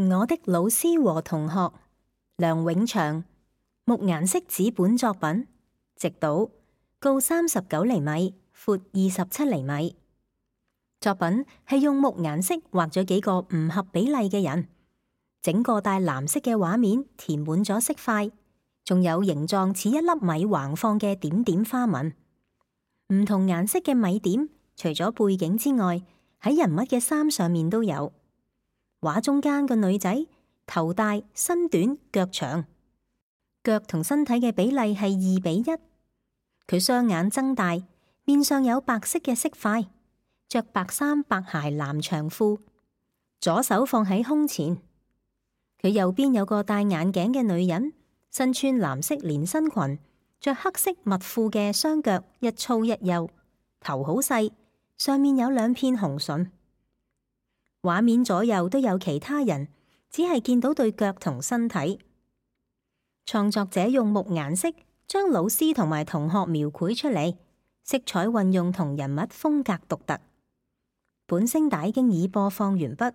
我的老師和同學，梁永祥，木顏色紙本作品，直島，高39厘米，闊27厘米。作品係用木顏色畫咗幾個唔合比例嘅人，整個帶藍色嘅畫面填滿咗色塊，仲有形狀似一粒米橫放嘅點點花紋。唔同顏色嘅米點，除咗背景之外，喺人物嘅衫上面都有。畫中間個女仔頭大身短腳長，腳同身體嘅比例係2:1。佢雙眼睜大，面上有白色嘅色塊，着白衫白鞋藍長褲，左手放喺胸前。佢右邊有個戴眼鏡嘅女人，身穿藍色連身裙，着黑色襪褲嘅雙腳一粗一幼，頭好細，上面有2片紅唇。畫面左右都有其他人，只係見到對腳同身體。創作者用木顏色將老師同埋同學描繪出嚟，色彩運用同人物風格獨特。本聲帶經已播放完畢。